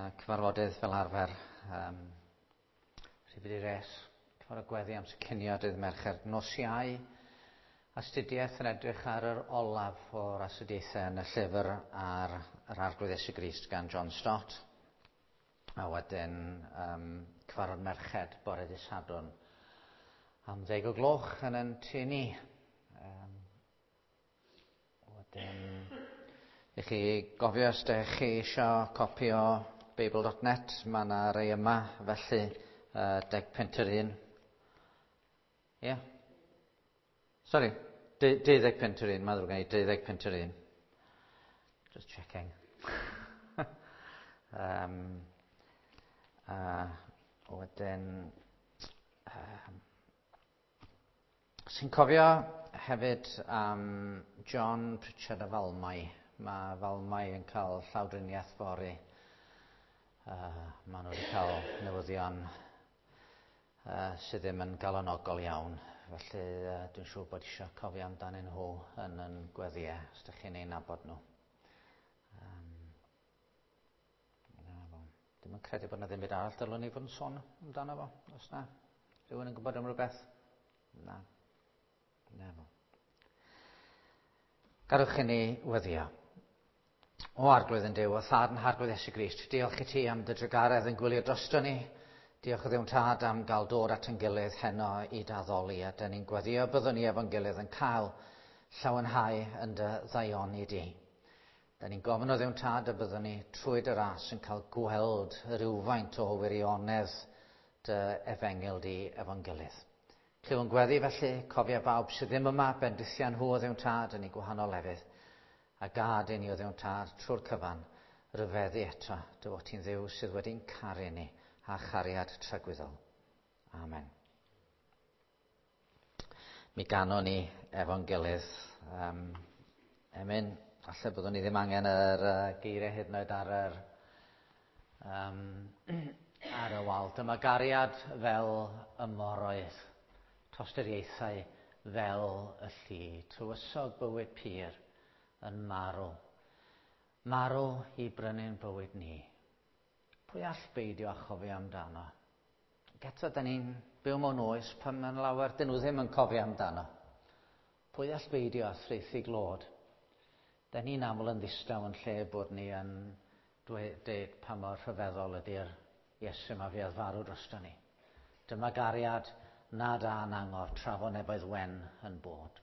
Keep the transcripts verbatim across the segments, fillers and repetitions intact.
Cyfarfodydd fel arfer. Um, Rhifyd i res, cyfarfod gweddi amser cinio dydd Mercher. Nos Iau, astudiaeth yn edrych ar yr olaf o'r astudiaethau yn y llyfr ar yr Arglwydd Iesu Grist gan John Stott. A wedyn um, cyfarfod merched bore dydd Sadwrn am ddeg o gloch yn yn tŷ ni. Um, wedyn, i chi gofio os ydych chi eisiau copi o Beibl dot net, mae yna rei yma, felly uh, deg punt yr un. Ie? Yeah. Sori, deuddeg punt yr un, mae'n ddrwg gen i, deuddeg punt yr un. Just checking. um, uh, wedyn, um, sy'n cofio hefyd am um, John Pritchard a Falmai. Mae Falmai yn cael llawdriniaeth fory. Uh, maen nhw wedi cael newyddion uh, sydd ddim yn galonogol iawn. Felly uh, dwi'n siŵr bod eisiau cofio amdanyn nhw yn yn gweddïau, os ydych chi'n ei nabod nhw. Um, Dwi'm yn credu bod yna ddim byd arall dylwn ni fod yn sôn amdano fo, os na. Rhywun yn gwybod am rhywbeth? Na. Na fo. Gadewch i ni weddïo. O Arglwydd yn Duw, a Thad yn Harglwydd Iesu Grist, diolch i ti am dy drugaredd yn gwylio drosto ni. Diolch o Dduw'n Tad am gael dod at ein gilydd heno i d'addoli, a dyn ni'n gweddio byddwn ni efo'n gilydd yn cael llawenhau yn dy ddaioni di. Dyn ni'n gofyn o Dduw'n Tad y byddwn ni trwy dy ras yn cael gweld rhywfaint o wirionedd dy efengyl di efo'n gilydd. Clyw yn gweddi felly, cofia bawb sydd ddim yma, bendithia nhw o Dduw'n Tad yn eu gwahanol lefydd, a gad i ni o Dduw'n Tad trwy'r cyfan ryfeddu eto dy fod ti'n Dduw sydd wedi'n caru ni a chariad tragwyddol. Amen. Mi ganon ni efo'n gilydd. Um, emyn, falle byddwn ni ddim angen yr uh, geiriau hyd yn oed ar yr, um, ar y wal. Dyma gariad fel y moroedd, tosturiaethau fel y lli, tywysog bywyd pur yn marw. Marw i brynu'n bywyd ni. Pwy all beidio â chofio amdano? Ac eto, da ni'n byw mewn oes pan mae'n lawer dyn nhw ddim yn cofio amdano. Pwy all beidio â thraethu glod? Da ni'n aml yn ddistaw yn lle bod ni yn dweud pa mor rhyfeddol ydy'r Iesu yma fuodd farw drosto ni. Dyma gariad nad a'n angof tra fo neboedd wen yn bod.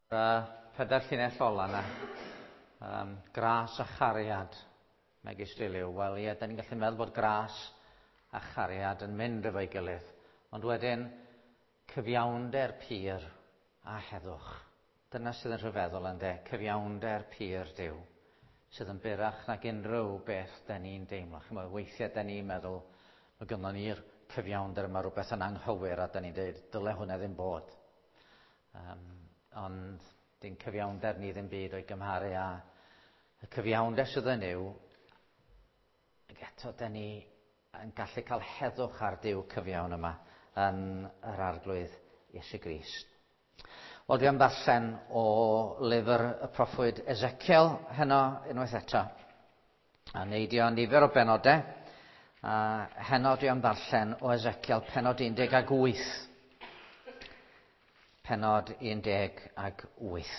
Uh, pedair llinell ola yna, um, gras a chariad, megis diliw. Wel ie, da ni'n gallu meddwl bod gras a chariad yn mynd efo'i gilydd, ond wedyn cyfiawnder pur a heddwch. Dyna sydd yn rhyfeddol ynde, cyfiawnder pur Duw, sydd yn burach nag unrhyw beth da ni'n deimlo. Chimod, weithiau da ni'n meddwl, mae gynnon ni'r cyfiawnder mae rhywbeth yn anghywir a da ni'n dweud dyle hwnna ddim bod. Um, ond dim cyfiawnder ni ddim byd o'i gymharu â y cyfiawnder sydd yn yw, ac eto da ni yn gallu cael heddwch ar Duw cyfiawn yma yn yr Arglwydd Iesu Grist. Wel, dwi am ddarllen o lyfr y proffwyd Ezekiel heno unwaith eto. A neidio nifer o benodau. A heno dwi am ddarllen o Ezekiel pennod un deg wyth. Pennod un deg wyth.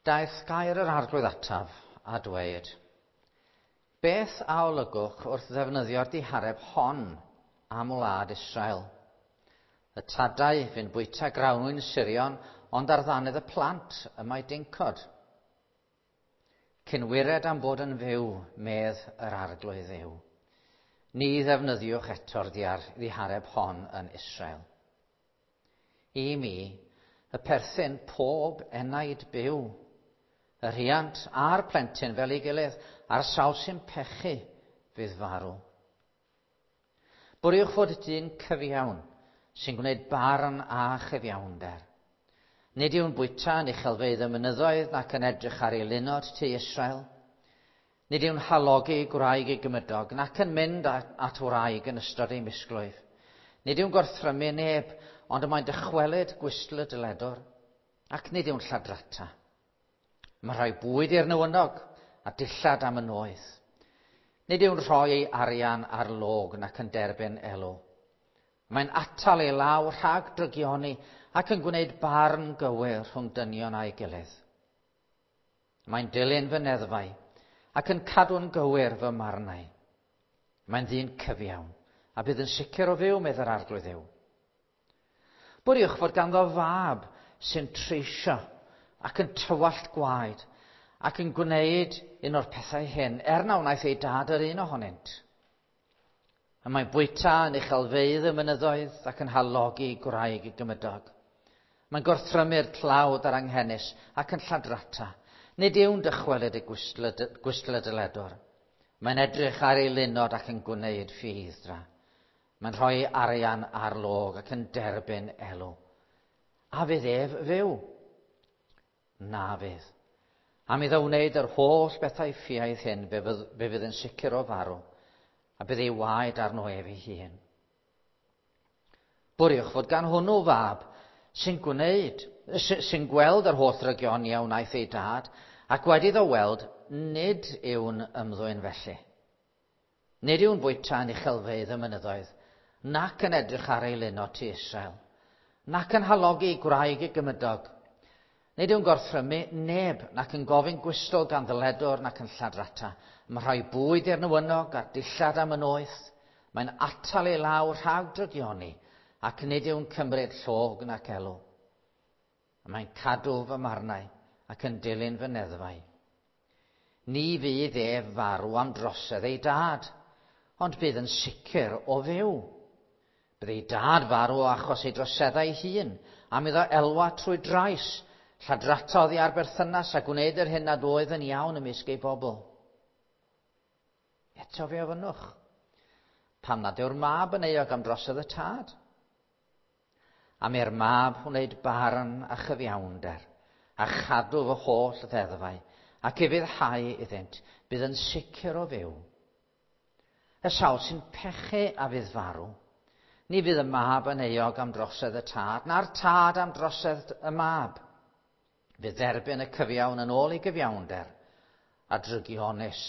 Daeth gair yr Arglwydd ataf a dweud, beth a olygwch wrth ddefnyddio'r dihareb hon am wlad Israel? Y tadau fu'n bwyta grawnwin sirion, ond ar ddannedd y plant y mae dincod. Cynwired am fod yn fyw, medd yr Arglwydd Dduw. Ni ddefnyddiwch eto'r ddihareb hon yn Israel. I mi, y perthyn pob enaid byw, y rhiant a'r plentyn fel ei gilydd, a'r sawl sy'n pechu fydd farw. Bwriwch fod dyn cyfiawn sy'n gwneud barn a chyfiawnder. Nid yw'n bwyta yn uchelfeydd y mynyddoedd nac yn edrych ar ei lunod tu Israel. Nid yw'n halogi gwraig ei gymydog nac yn mynd at wraig yn ystod ei misglwyf. Nid yw'n gorthrymu neb, ond y mae'n dychwelyd gwystl y dyledwr, ac nid yw'n lladrata. Mae rhoi bwyd i'r newynog a dillad am y noeth. Nid yw'n rhoi ei arian ar log nac yn derbyn elw. Mae'n atal ei law rhag drygioni ac yn gwneud barn gywir rhwng dynion a'i gilydd. Mae'n dilyn fy neddfau ac yn cadw'n gywir fy marnau. Mae'n ddyn cyfiawn a bydd yn sicr o fyw, medd yr Arglwydd Dduw. Bwriwch fod ganddo fab sy'n treisio ac yn tywallt gwaed, ac yn gwneud un o'r pethau hyn, er na wnaeth ei dad yr un ohonynt. Y mae'n bwyta yn uchelfeydd y mynyddoedd ac yn halogi gwraig ei gymydog. Mae'n gorthrymu'r tlawd a'r anghenus ac yn lladrata. Nid yw'n dychwelyd y gwystl y dyledwr. Mae'n edrych ar ei lunod ac yn gwneud ffieidd-dra. Mae'n rhoi arian ar log ac yn derbyn elw. A fydd ef fyw? Na fydd. Am iddo wneud yr holl bethau ffiaidd hyn, fe fydd, fe fydd yn sicr o farw, a bydd ei waed arno ef ei hun. Bwriwch fod gan hwnnw fab sy'n gwneud, sy'n gweld yr holl drygioni a wnaeth ei dad, ac wedi iddo weld, nid yw'n ymddwyn felly. Nid yw'n bwyta yn uchelfeydd y mynyddoedd, nac yn edrych ar ei lunod tu Israel, nac yn halogi gwraig ei gymydog. Nid yw'n gorthrymu neb, nac yn gofyn gwystl gan ddyledwr, nac yn lladrata. Mae'n rhoi bwyd i'r newynog a dillad am y noeth. Mae'n atal ei law rhag drygioni, ac nid yw'n cymryd llog nac elw. Mae'n cadw fy marnau ac yn dilyn fy neddfau. Ni fydd ef farw am drosedd ei dad, ond bydd yn sicr o fyw. Bydd ei dad farw o achos ei droseddau ei hun, am iddo elwa trwy drais, lladrata oddi ar berthynas a gwneud yr hyn nad oedd yn iawn ymysg ei bobl. Eto fe ofynnwch, pam nad yw'r mab yn euog am drosedd y tad? Am i'r mab wneud barn a chyfiawnder, a chadw fy holl ddeddfau, ac ufuddhau iddynt, bydd yn sicr o fyw. Y sawl sy'n pechu a fydd farw, ni fydd y mab yn euog am drosedd y tad, na'r tad am drosedd y mab. Fydd dderbyn y cyfiawn yn ôl ei gyfiawnder, a drygionus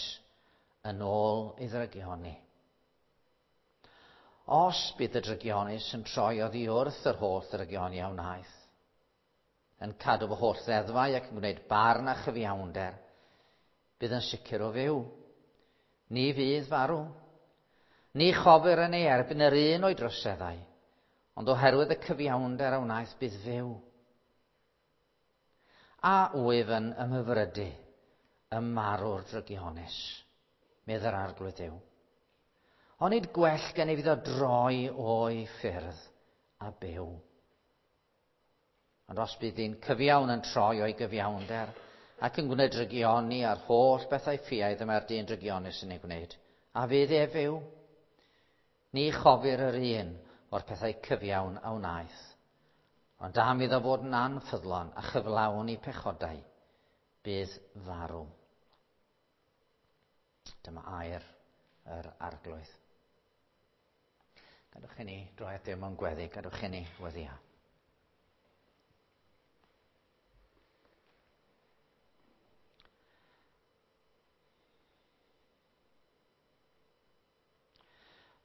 yn ôl ei ddrygioni. Os bydd y drygionus yn troi oddi wrth yr holl ddrygioni a wnaeth, yn cadw fy holl ddeddfau ac yn gwneud barn a chyfiawnder, bydd yn sicr o fyw. Ni fydd farw. Ni chofir yn ei erbyn yr un o'i droseddau, ond oherwydd y cyfiawnder a wnaeth bydd fyw. A wyf yn ymhyfrydu ym marw'r drygionus, medd yr Arglwydd Dduw. Onid gwell gen i fydd o droi o'i ffyrdd a byw. Ond os bydd dyn cyfiawn yn troi o'i gyfiawnder ac yn gwneud drygioni a'r holl bethau ffiaidd y mae'r dyn drygionus yn ei gwneud, a fydd e fyw? Ni chofir yr un o'r pethau cyfiawn a wnaeth. Ond am iddo fod yn anffyddlon a chyflawn i pechodau, bydd farw. Dyma air yr Arglwydd. Gadwch i ni droi at Dduw mewn gweddi, gadwch i ni weddïo.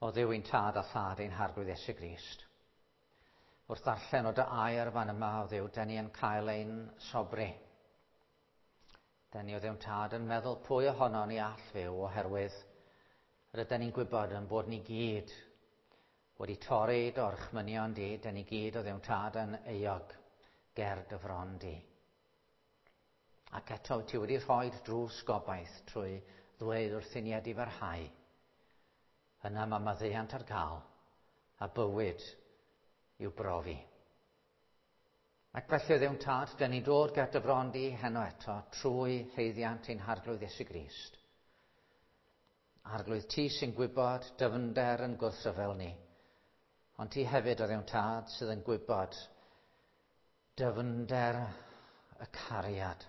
O Dduw ein tad a thad ein Harglwydd Iesu Grist. Wrth ddarllen o dy air fan yma, o Dduw, den ni yn cael ein sobri. Den ni o Dduw'n tad yn meddwl pwy ohono ni all fyw oherwydd rydyn ni'n gwybod yn bod ni gyd wedi torri dy orchmynion di, den ni gyd o Dduw'n tad yn euog ger dy fron di. Ac eto ti wedi rhoi drws gobaith trwy ddweud wrth i ni edifarhau. Yna mae maddeuant ar gael a bywyd i'w brofi. Ac felly o Dduw'n tad, den ni'n dod ger dy fron di heno eto trwy haeddiant ein Harglwydd Iesu Grist. Arglwydd, ti sy'n gwybod dyfnder yn gwrthryfel ni, ond ti hefyd o Dduw'n tad sydd yn gwybod dyfnder y cariad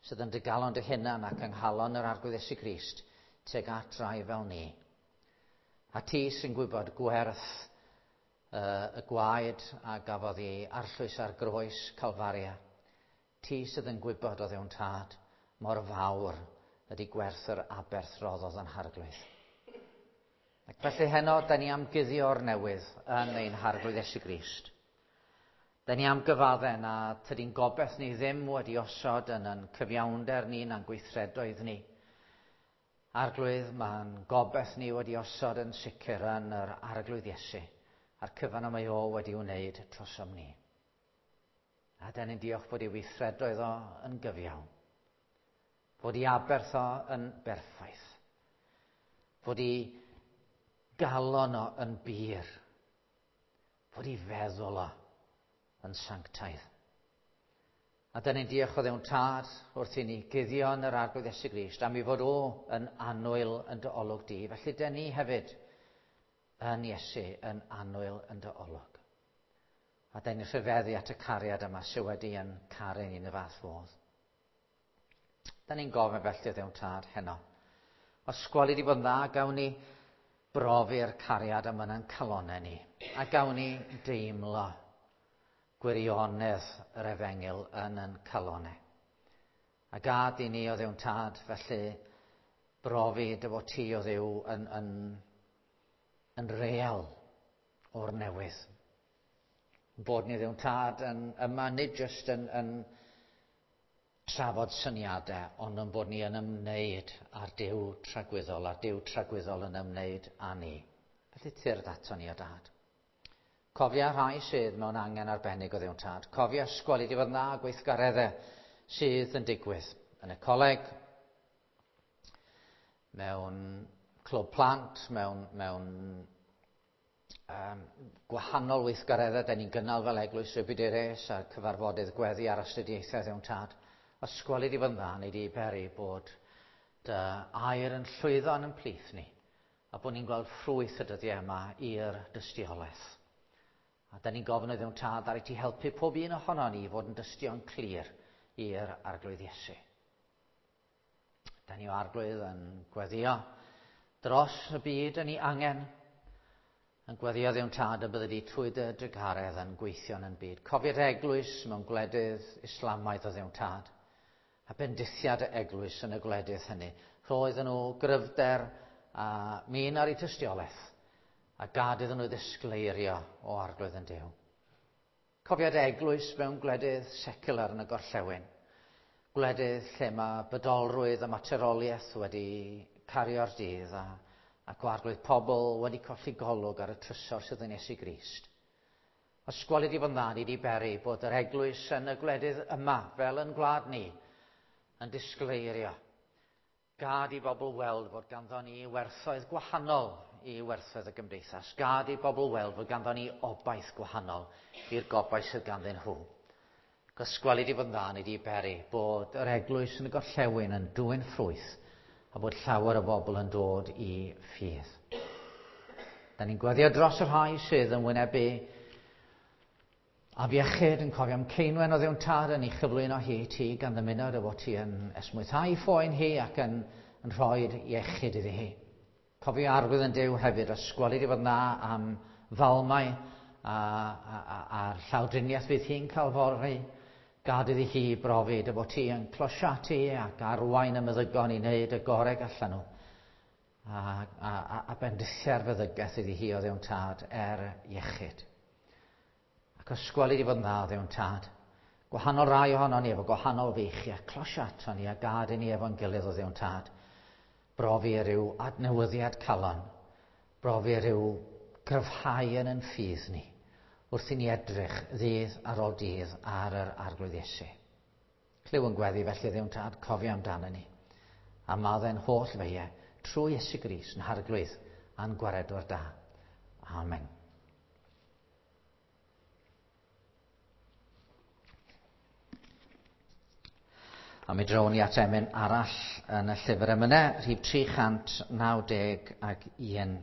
sydd yn dy galon dy hunan ac yng nghalon yr Arglwydd Iesu Grist tuag at rai fel ni. A ti sy'n gwybod gwerth uh, y gwaed a gafodd ei arllwys ar groes Calfaria. Ti sydd yn gwybod o Dduw'n tad mor fawr ydy gwerth yr aberth roddodd yn Harglwydd. Ac felly heno, da ni am guddio'r newydd yn ein Harglwydd Iesu Grist. Da ni am gyfadde na tydi'n gobeith ni ddim wedi osod yn yn cyfiawnder ni na'n gweithredoedd ni. Arglwydd, mae'n gobeith ni wedi osod yn sicr yn yr Arglwydd Iesu, a'r cyfan y mae o wedi wneud trosom ni. A da ni'n diolch bod ei weithredoedd o yn gyfiawn, fod ei aberth o yn berffaith, fod ei galon o yn bur, fod ei feddwl o yn sanctaidd. A da ni'n diolch o Dduw'n tad wrth i ni guddio yn yr Arglwydd Iesu Grist am ei fod o yn annwyl yn dy olwg di. Felly da ni hefyd yn Iesu yn annwyl yn dy olwg. A da ni'n rhyfeddu at y cariad yma sydd wedi yn caru ni yn y fath fodd. Da ni'n gofyn felly o Dduw'n tad heno. Os gweli di bod yn dda, gawn ni brofi'r cariad yma yn calonau ni. A gawn ni deimlo gwirionedd yr efengyl yn yn calonau. A gad i ni o Dduw'n tad, felly brofi dy fod ti o Dduw yn, yn, yn real o'r newydd. Bod ni Dduw'n tad yn, yma nid jyst yn, yn trafod syniadau, ond yn bod ni yn ymwneud â'r Duw tragwyddol, a'r Duw tragwyddol yn ymwneud â ni. Felly tyrd ato ni o dad. Cofia rhai sydd mewn angen arbennig o Dduw'n tad. Cofia ysgol i di fod yn dda gweithgareddau sydd yn digwydd yn y coleg, mewn clwb plant, mewn, mewn um, gwahanol weithgareddau da ni'n gynnal fel eglwys Rhybudures a'r cyfarfodydd gweddi a'r astudiaethau Dduw'n tad. Ysgol i di fod yn dda, neu di beri bod dy air yn llwyddo yn ymplith ni a bod ni'n gweld ffrwyth y dyddiau yma i'r dystiolaeth. A da ni'n gofyn o Dduw'n tad ar i ti helpu pob un ohono ni i fod yn dystion clir i'r Arglwydd Iesu. Da ni o Arglwydd yn gweddio dros y byd yn ei angen, yn gweddio Dduw'n tad y bydde di trwy dy drugaredd yn gweithio yn byd. Cofi'r eglwys mewn gwledydd Islamaidd o Dduw'n tad, a bendithiad y eglwys yn y gwledydd hynny. Roedd nhw gryfder a min ar eu tystiolaeth, a gad iddyn nhw ddisgleirio o Arglwydd yn Duw. Cofiad eglwys mewn gwledydd secular yn y gorllewin, gwledydd lle mae bydolrwydd a materoliaeth wedi cario'r dydd a, ac o Arglwydd pobl wedi colli golwg ar y trysor sydd yn Iesu Grist. Os gweli di fod yn dda, ni di beri bod yr eglwys yn y gwledydd yma, fel yn gwlad ni, yn disgleirio. Gad i bobl weld fod ganddo ni werthoedd gwahanol i werthoedd y gymdeithas. Gad i bobl weld fod ganddo ni obaith gwahanol i'r gobaith sydd ganddyn nhw. Gysgweli di fod yn dda ni di beri bod yr eglwys yn y gorllewin yn dwyn ffrwyth a bod llawer o bobl yn dod i ffydd. Da ni'n gweddio dros y rhai sydd yn wynebu afiechyd, yn cofio am Ceinwen o Dduw'n Tad yn ei chyflwyno hi i ti gan ddymuno dy fod ti yn esmwythau phoen hi ac yn, yn rhoi iechyd iddi hi. Cofio arwydd yn Duw hefyd, ysgweli di fod na am falmau a, a, a, a'r llawdriniaeth fydd hi'n cael fory. Gad iddi hi brofi dy fod ti yn closiatu ac arwain y meddygon i wneud y gorau gallan nhw. A, a, a, a bendithiau'r feddygaeth iddi hi o Dduw'n Tad er iechyd. Ac ysgweli di fod yn dda, Dduw'n Tad. Gwahanol rai ohono ni efo gwahanol feichiau, closia ato ni a gad i ni efo'n gilydd o Dduw'n Tad. Brofi rhyw adnewyddiad calon, brofi rhyw gryfhau yn yn ffydd ni, wrth i ni edrych ddydd ar ôl dydd ar yr Arglwydd Iesu. Clyw yn gweddi felly Dduw'n Tad, cofio amdano ni. A maddau'n holl feiau trwy Iesu Grist yn Harglwydd a'n gwaredwr da. Amen. A mi drown ni at emyn arall yn y llyfr emynau, rhif tri chant naw deg ac un.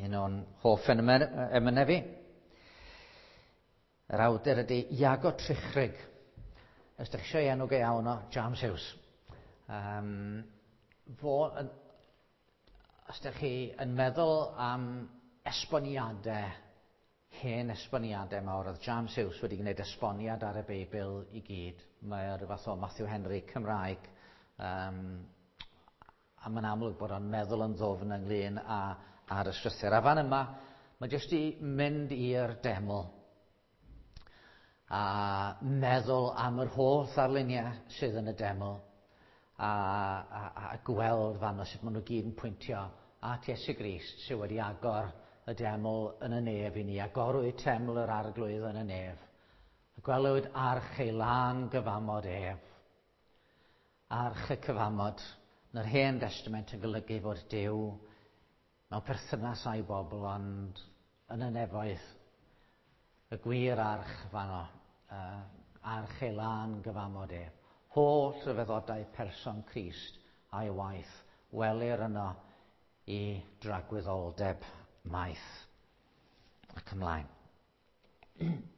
Un o'n hoff emynau fi. Yr awdur ydy Iago Trichrug. Os ydych chi eisiau enw go iawn o, James Hughes. Um, fo, os ydych chi yn meddwl am esboniadau, hen esboniadau mawr, oedd James Hughes wedi gwneud esboniad ar y Beibl i gyd. Mae o ryw fath o Matthew Henry Cymraeg. Um, a mae'n amlwg bod o'n meddwl yn ddwfn ynglyn â, ar y strwythur. A fan yma, mae jyst i mynd i'r deml a meddwl am yr holl ddarluniau sydd yn y deml a, a, a gweld fan o sut maen nhw gyd yn pwyntio at Iesu Grist sydd wedi agor y deml yn y nef i ni. Agorwyd teml yr Arglwydd yn y nef. A gwelwyd arch ei lân gyfamod ef. Arch y cyfamod yn yr Hen Testament yn golygu fod Duw mewn perthynas â'i bobl, ond yn y nefoedd y gwir arch fanno, uh, arch ei lân gyfamod ef. Holl ryfeddodau person Crist a'i waith welir yno i dragwyddoldeb maith. Ac ymlaen. Agorwyd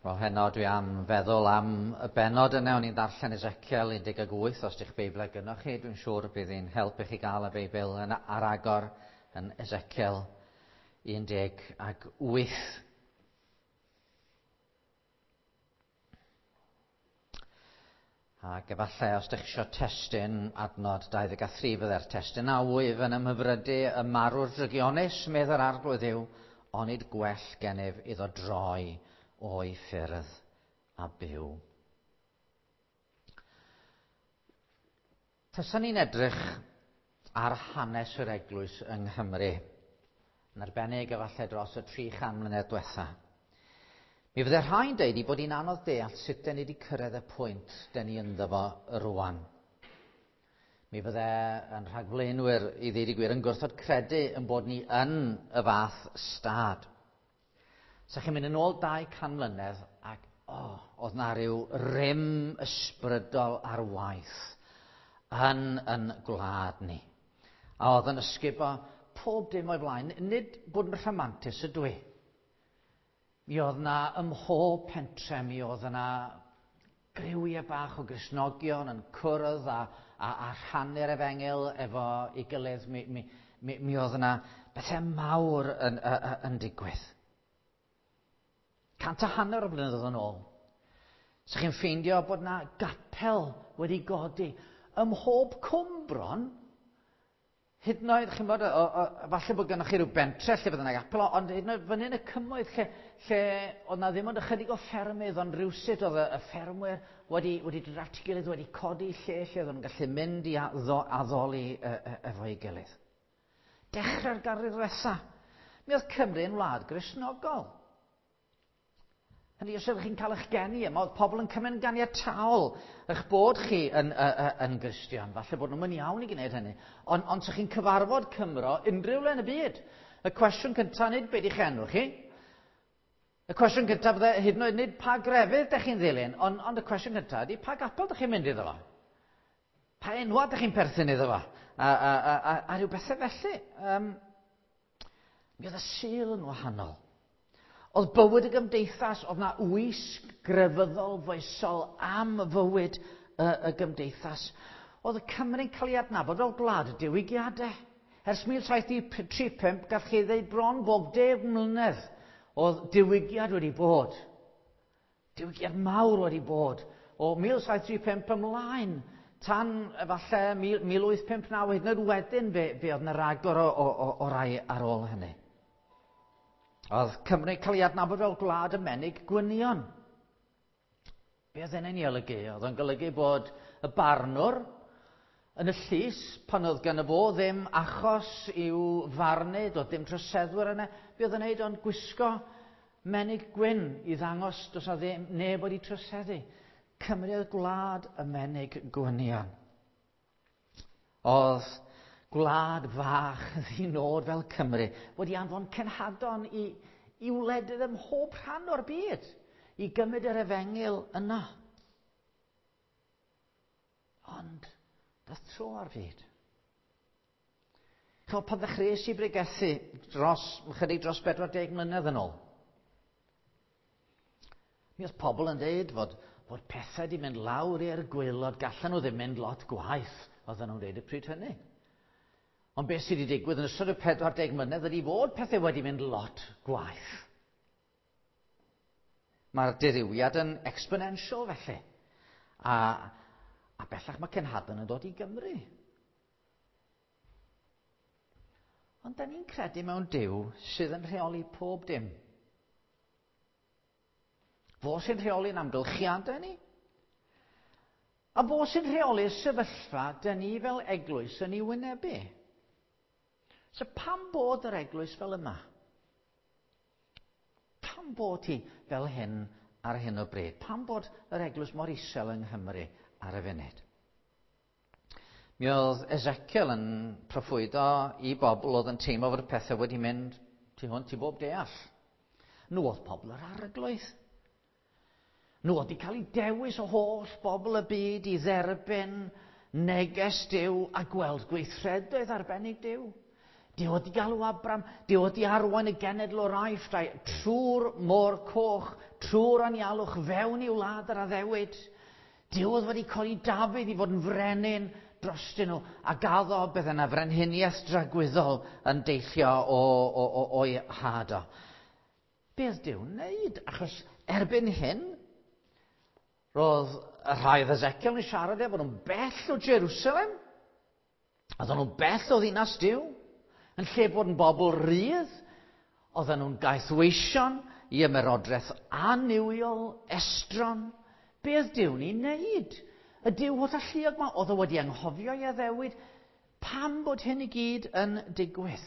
Wel, heno dwi am feddwl am y bennod yna. O'n i'n darllen Ezekiel un deg wyth, os ydych Beibl gynnoch chi, dwi'n siŵr bydd hi'n helpu chi gael y Beibl yn, ar agor yn Ezekiel un deg wyth. Ac efallai os ydych chi eisiau testun adnod dau ddeg a thri fydde'r testun a wyf yn ymhyfrydu y marw'r drygionus, medd yr Arglwydd yw, onid gwell gennyf iddo droi o'i ffyrdd a byw. Taswn ni'n edrych ar hanes yr eglwys yng Nghymru, yn arbennig efallai dros y tri chan mlynedd diwetha. Mi fydde rhai'n deud i bod hi'n anodd deall sut den ni wedi cyrraedd y pwynt den ni ynddo fo rwan. Mi fydde yn rhagflaenwyr i ddeud y gwir yn gwrthod credu yn bod ni yn y fath stad. Sa chi'n mynd yn ôl dau can mlynedd ac oh, oedd na ryw rym ysbrydol ar waith yn yn gwlad ni. A oedd yn ysgubo pob dim o'i flaen, nid bod yn rhamantus ydw i. Mi oedd na ym mhob pentre, mi oedd yna griwiau bach o Gristnogion yn cwrdd a, a, a rhannu'r efengyl efo ei gilydd. Mi, mi, mi, mi oedd yna bethau mawr yn, yn, yn digwydd. Cant a hanner o blynyddoedd yn ôl. So chi'n ffeindio bod na gapel wedi godi ym mhob cwm bron. Hyd yn oed, chi'n bod, o, o, falle bod gennych chi rhyw bentre lle fydde yna gapel, ond hyd yn oed fyny yn y cymoedd lle, lle oedd na ddim ond ychydig o ffermydd, ond rhywsut oedd y, y ffermwyr wedi, wedi dod at ei gilydd, wedi codi lle lle oedd nhw'n gallu mynd i addo, addoli e, e, efo'i gilydd. Dechrau'r ganrif ddiwetha. Mi oedd Cymru yn wlad Gristnogol. Hynny, os ydych chi'n cael eich geni yma, oedd pobl yn cymryd yn ganiataol eich bod chi yn, yn, yn Gristion. Falle bod nhw'n mynd iawn i gwneud hynny. Ond on, os chi'n cyfarfod Cymro unrhyw le yn y byd, y cwestiwn cyntaf nid be di'ch enw chi. Y cwestiwn cyntaf fydde hyd yn oed nid pa grefydd dych chi'n ddilyn, ond, ond y cwestiwn cyntaf ydy pa gapel dych chi'n mynd iddo fo? Pa enwa dych chi'n perthyn iddo fo? A, a, a, a, a rhyw bethau felly. Um, mi oedd y Sul yn wahanol. Oedd bywyd y gymdeithas, oedd na wisg grefyddol foesol am fywyd y, y gymdeithas. Oedd y Cymru'n cael ei adnabod fel gwlad y diwygiadau. Ers mil saith tri pump, gall chi ddeud bron bob deg mlynedd oedd diwygiad wedi bod. Diwygiad mawr wedi bod. O mil saith tri pump ymlaen, tan efallai mil wyth pump naw, hyd yn oed wedyn fe, fe oedd yna ragor o, o, o, o rai ar ôl hynny. Oedd Cymru cael ei adnabod fel gwlad y menig gwynion. Be oedd hynny'n ei olygu? Oedd o'n golygu bod y barnwr yn y llys, pan oedd gan y fo ddim achos i'w farnu, doedd dim troseddwyr yna, be oedd yn neud ond gwisgo menig gwyn i ddangos does na ddim neb wedi troseddu. Cymru oedd gwlad y menig gwynion. Oedd gwlad fach ddinod fel Cymru wedi anfon cenhadon i, i wledydd ym mhob rhan o'r byd i gymryd yr efengyl yna. Ond dath tro ar fyd. Chymod, pan ddechreuais i bregethu dros, chydig dros bedwar deg mlynedd yn ôl, mi oedd pobl yn dweud fod, fod pethau wedi mynd lawr i'r gwaelod, gallan nhw ddim mynd lot gwaeth, oedden nhw'n dweud y pryd hynny. Ond beth sydd wedi digwydd yn ystod y pedwar deg mlynedd ydy fod pethau wedi mynd lot gwaeth. Mae'r dirywiad yn exponential felly. A, a bellach mae cenhadon yn dod i Gymru. Ond da ni'n credu mewn Duw sydd yn rheoli pob dim. Fo sy'n rheoli'n amgylchiadau ni. A fo sy'n rheoli'r sefyllfa da ni fel eglwys yn ei wynebu. So pam bod yr eglwys fel yma? Pam bod hi fel hyn ar hyn o bryd? Pam bod yr eglwys mor isel yng Nghymru ar y funud? Mi oedd Ezekiel yn proffwydo i bobl oedd yn teimlo fod y pethau wedi mynd tu hwnt i bob deall. Nhw oedd pobl yr Arglwydd. Nhw oedd wedi cael eu dewis o holl bobl y byd i dderbyn neges Duw a gweld gweithredoedd arbennig Duw. Duw wedi galw Abram, Duw wedi arwain y genedl o'r Aifft trwy'r môr coch, trwy'r anialwch fewn i'w wlad yr addewid. Duw oedd wedi codi Dafydd i fod yn frenin drostyn nhw a gaddo bydd yna frenhiniaeth dragwyddol yn deillio o, o, o, o'i had o. Be oedd Duw'n wneud? Achos erbyn hyn, roedd y rhai oedd Ezekiel yn siarad efo nhw'n bell o Jerusalem. Oedden nhw'n bell o ddinas Duw. Yn lle bod yn bobl rydd, oedden nhw'n gaethweision i ymerodraeth annuwiol, estron. Be oedd Duw'n ei wneud? Y Duw holl alluog yma, oedd o wedi anghofio ei addewid. Pam bod hyn i gyd yn digwydd?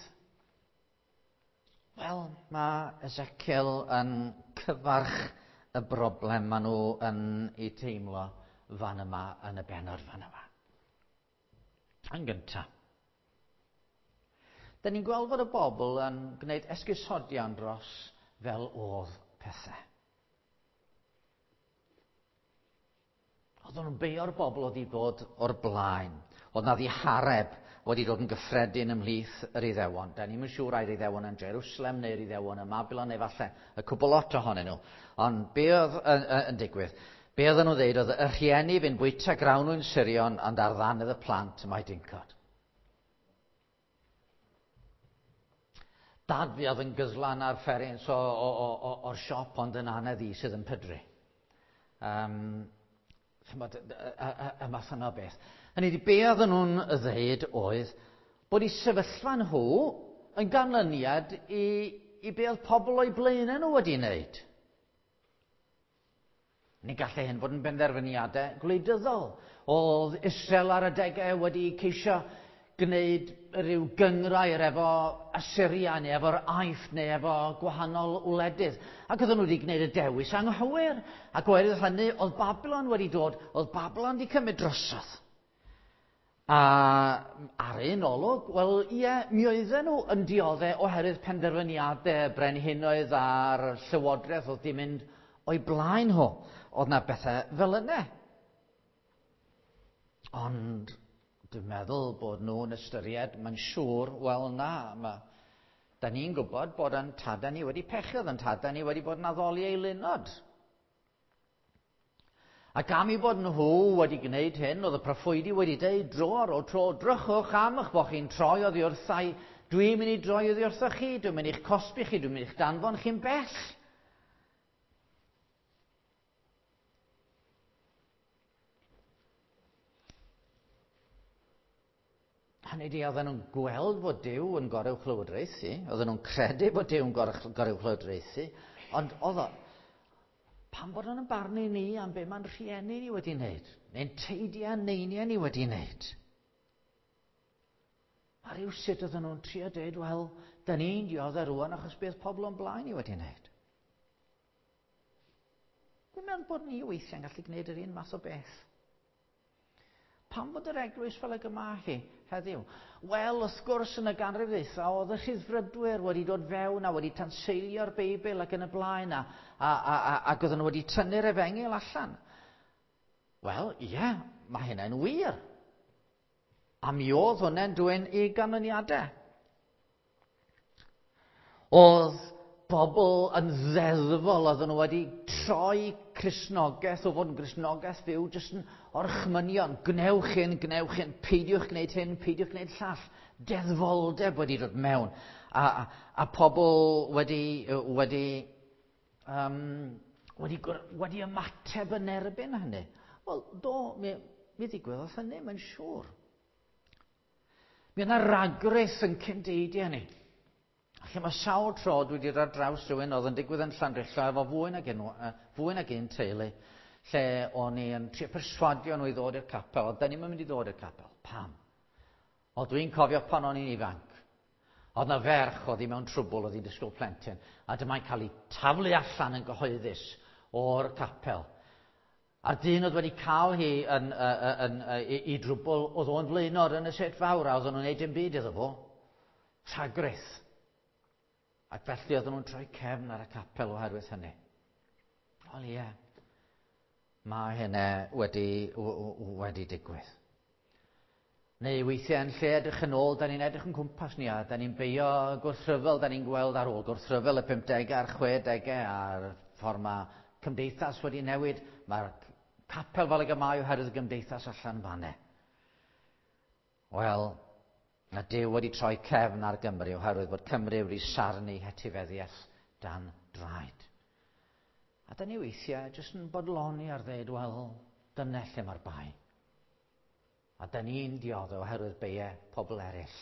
Wel, mae Ezekiel yn cyfarch y broblem maen nhw yn ei teimlo fan yma, yn y bennod fan yma. Yn gyntaf, da ni'n gweld fod y bobl yn gwneud esgusodion dros fel oedd pethau. Oedden nhw'n beio'r bobl oedd wedi bod o'r blaen. Oedd na ddihareb wedi dod yn gyffredin ymhlith yr Iddewon. Da ni'm yn siŵr ai'r Iddewon yn Jerusalem neu'r Iddewon ym Mabilon neu falle y cwbl lot ohonyn nhw. Ond be oedd yn, yn, yn digwydd? Be oedden nhw'n dweud oedd y rhieni fynd bwyta grawnwin surion ond ar ddannedd y plant mae dincod. Dad fi oedd yn gyslan ar fferins o, o, o, o, o'r siop ond yn anedd i sydd yn pydru. Um, chymod, y, y, y, y math yna o beth. Hynny ydi, be oedden nhw'n ddeud oedd bod eu sefyllfa nhw yn ganlyniad i, i be oedd pobl o'i blaenau nhw wedi wneud. Ni gallai hyn fod yn benderfyniadau gwleidyddol. Oedd Israel ar adegau wedi ceisio gwneud rhyw gynghrair efo Assyria neu efo'r Aifft neu efo gwahanol wledydd. Ac oedden nhw wedi gwneud y dewis anghywir. Ac oherwydd hynny, oedd Babylon wedi dod, oedd Babylon wedi cymryd drosodd. A ar un olwg, wel ie, mi oedden nhw yn dioddau oherwydd penderfyniadau brenhinoedd a'r llywodraeth oedd wedi mynd o'i blaen nhw. Oedd na bethau fel yna. Ond dwi'n meddwl bod nhw'n ystyried, mae'n siŵr, wel na, ma, da ni'n gwybod bod yn tadau ni wedi pechu, oedd yn tadau ni wedi bod yn addoli eilunod. Ac am i bod nhw wedi gwneud hyn, oedd y proffwydi wedi dweud dro ar ôl tro, drychwch am eich bod chi'n troi oddi wrthai, dwi'n mynd i droi oddi wrthoch chi, dwi'n mynd i'ch cosbi chi, dwi'n mynd i'ch danfon chi'n bell. Hynny ydi, oedden nhw'n gweld bod Duw yn goruwchlywodraethu, oedden nhw'n credu bod Duw yn goruwchlywodraethu, ond oedd o, pam bod nhw'n barnu ni am be mae'n rhieni ni wedi wneud, neu'n teidiau neiniau ni wedi wneud? A rhyw sut oedden nhw'n trio dweud, wel, da ni'n dioddef rŵan achos beth pobl o'n blaen ni wedi wneud. Dwi'n meddwl bod ni weithiau'n gallu gwneud yr un math o beth. Pam fod yr eglwys fel ag yma hi heddiw? Wel, wrth gwrs yn y ganrif ddwytha oedd y rhyddfrydwyr wedi dod fewn a wedi tanseilio'r Beibl ac yn y blaen a, a, a, a, ac oedden nhw wedi tynnu'r efengyl allan. Wel, ie, yeah, mae hynna'n wir. A mi oedd hwnna'n dwyn i ganlyniadau. Oedd bobl yn ddeddfol, oedden nhw wedi troi Cristnogaeth o fod yn Gristnogaeth fyw, jyst yn orchmynion, gwnewch hyn, gwnewch hyn, peidiwch gwneud hyn, peidiwch gwneud llall. Deddfoldeb wedi dod mewn. A, a, a pobl wedi, wedi, um, wedi, wedi ymateb yn erbyn hynny. Wel, do, mi, mi ddigwyddodd hynny, mae'n siŵr. Mi yna ragrith yn cyndeidiau ni. Lle mae sawl tro dwi wedi dod ar draws rhywun oedd yn digwydd yn Llandrillo efo fwy nag un, fwy nag un teulu, lle o'n i yn trio perswadio nhw i ddod i'r capel, ond da ni'm yn mynd i ddod i'r capel. Pam? O, dwi'n cofio pan o'n i'n ifanc. Oedd na ferch oedd hi mewn trwbl, oedd hi'n disgwyl plentyn, a dyma'n cael ei taflu allan yn gyhoeddus o'r capel. A'r dyn oedd wedi cael hi yn, yn, yn, yn, i, i drwbl, oedd o'n flaenor yn y set fawr, a oedden nhw'n neud dim byd iddo fo. Rhagrith. Ac felly oedden nhw'n troi cefn ar y capel oherwydd hynny. Wel ie, mae hynna wedi, wedi digwydd. Neu weithiau yn lle edrych yn ôl, da ni'n edrych yn cwmpas ni a da ni'n beio gwrthryfel, da ni'n gweld ar ôl gwrthryfel y pumdegau a'r chwedegau a'r ffordd mae cymdeithas wedi newid, mae'r capel fel ag y mae oherwydd y gymdeithas allan fanne. Wel, mae Duw wedi troi cefn ar Gymru oherwydd bod Cymru wedi sarnu hetifeddiaeth dan draed. A da ni weithiau jyst yn bodloni ar ddeud, wel, dyna lle mae'r bai. A da ni'n dioddef oherwydd beiau pobl eraill.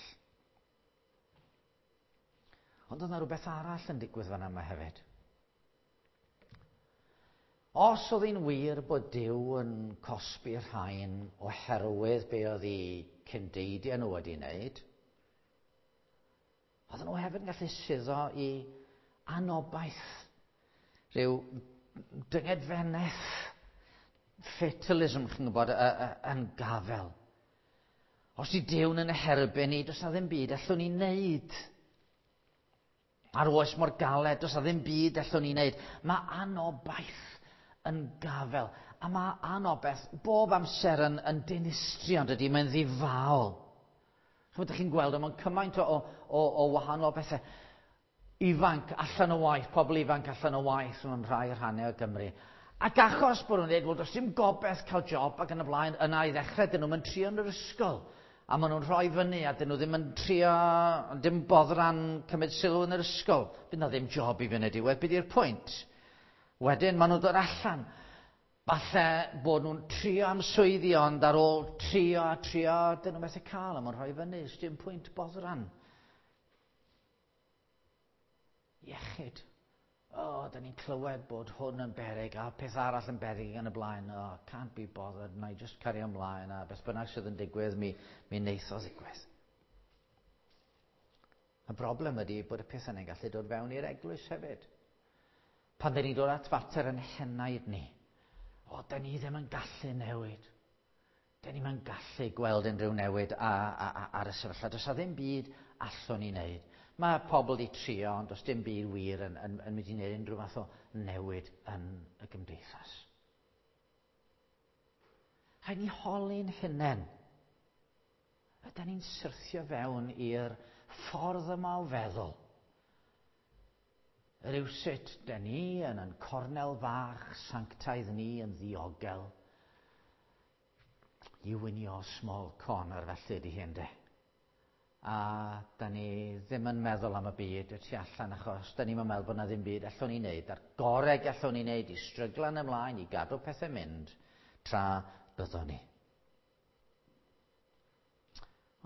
Ond oedd yna rhywbeth arall yn digwydd fan yma hefyd. Os oedd hi'n wir bod Duw yn cosbi'r rhain oherwydd be oedd eu cyndeidiau nhw wedi wneud, oedden nhw hefyd yn gallu suddo i anobaith, rhyw dyngedfenedd, fatalism, chi'n gwybod, yn gafel. Os 'di Duw'n yn erbyn ni, does na ddim byd allwn ni wneud. A'r oes mor galed, does na ddim byd allwn ni wneud. Mae anobaith yn gafel. A mae anobaith bob amser yn, yn dinistrio, dydy, mae'n ddifaol. Chymod, ydych chi'n gweld, mae'n cymaint o, o, o wahanol bethau. Ifanc allan o waith, pobl ifanc allan o waith mewn rhai rhannau o Gymru. Ac achos bod nhw'n dweud, wel, does dim gobaith cael job ac yn y blaen, yna i ddechrau, dyn nhw'n trio yn yr ysgol. A maen nhw'n rhoi fyny a dyn nhw ddim yn trio, dim boddran cymryd sylw yn yr ysgol. Bydd na ddim job i fynd y diwedd, beth yw'r pwynt? Wedyn maen nhw'n dod allan. Falle bod nhw'n trio am swyddi, ond ar ôl trio a trio, dyn nhw'n methu cael, a maen rhoi fyny, dim pwynt boddran. Iechyd. O, oh, da ni'n clywed bod hwn yn beryg a peth arall yn beryg yn y blaen. Oh, can't be bothered, na i just cario ymlaen a beth bynnag sydd yn digwydd, mi, mi wneith o ddigwydd. Y broblem ydy bod y peth yna'n gallu dod fewn i'r eglwys hefyd. Pan da ni'n dod at fater yn henaid ni, o, da ni ddim yn gallu newid. Da ni'n yn gallu gweld unrhyw newid a, a, a, ar y sefyllfa. Does na ddim byd allwn ni wneud. Mae pobl wedi trio, ond does dim byd wir yn, yn, yn mynd i wneud unrhyw fath o newid yn y gymdeithas. Rhaid ni holi'n hunain. Ydy ni'n syrthio fewn i'r ffordd yma o feddwl? Rywsut, da ni yn yn cornel fach sanctaidd ni yn ddiogel. You in your small corner, felly ydy hyn de. A da ni ddim yn meddwl am y byd y tu allan achos da ni'n meddwl bod na ddim byd allwn ni wneud. A'r gorau gallwn ni wneud i stryglan ymlaen, i gadw pethau mynd tra byddwn ni.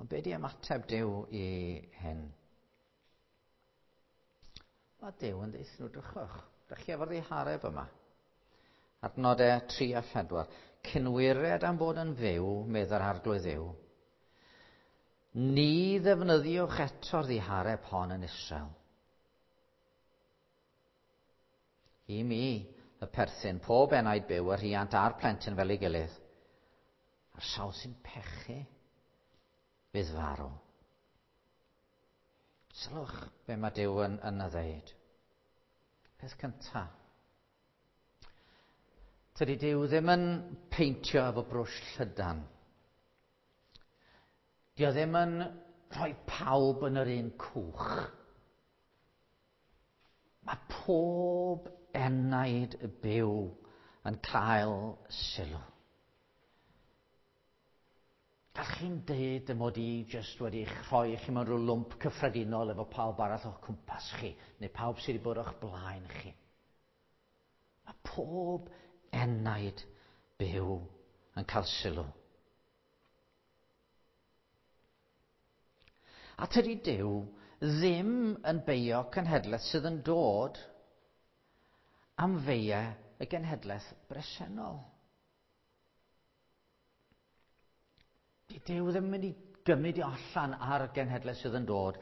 Ond be di ymateb Duw i hyn? Mae Duw yn deud nhw, drychwch. Dych chi efo'r ddihareb yma. Adnodau tri a phedwar. Cynwired am bod yn fyw, meddai'r Arglwydd Dduw. Ni ddefnyddiwch eto'r ddihareb hon yn Israel. I mi, y perthyn, pob enaid byw, y rhiant a'r plentyn fel ei gilydd. A'r sawl sy'n pechu, fydd farw. Sylwch be mae Duw yn, yn y ddeud. Peth cyntaf. Tydi Duw ddim yn peintio efo brwsh llydan. Dio ddim yn rhoi pawb yn yr un cwch. Mae pob enaid byw yn cael sylw. Gall chi'n deud y mod i jyst wedi eich rhoi chi mewn rhyw lwmp cyffredinol efo pawb arall o'ch cwmpas chi, neu pawb sydd wedi bod o'ch blaen chi. Mae pob enaid byw yn cael sylw. A tydi Duw ddim yn beio cenhedlaeth sydd yn dod am feiau y genhedlaeth bresennol. Di Duw ddim yn mynd i gymryd i allan ar y genhedlaeth sydd yn dod,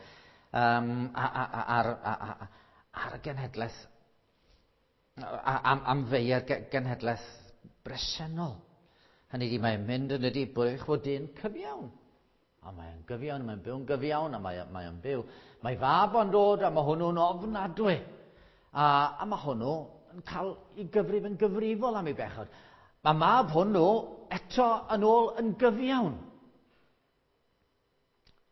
um, ar, ar, ar y genhedlaeth, am, am feiau'r genhedlaeth bresennol. Hynny ydi, mae'n mynd yn ydi bod eich bod dyn cyfiawn. A mae'n gyfiawn, mae'n byw'n gyfiawn, a mae'n mae byw. Mae fab o'n dod, a mae hwnnw'n ofnadwy. A, a mae hwnnw yn cael ei gyfrif yn gyfrifol am ei bechod. Mae mab hwnnw eto yn ôl yn gyfiawn.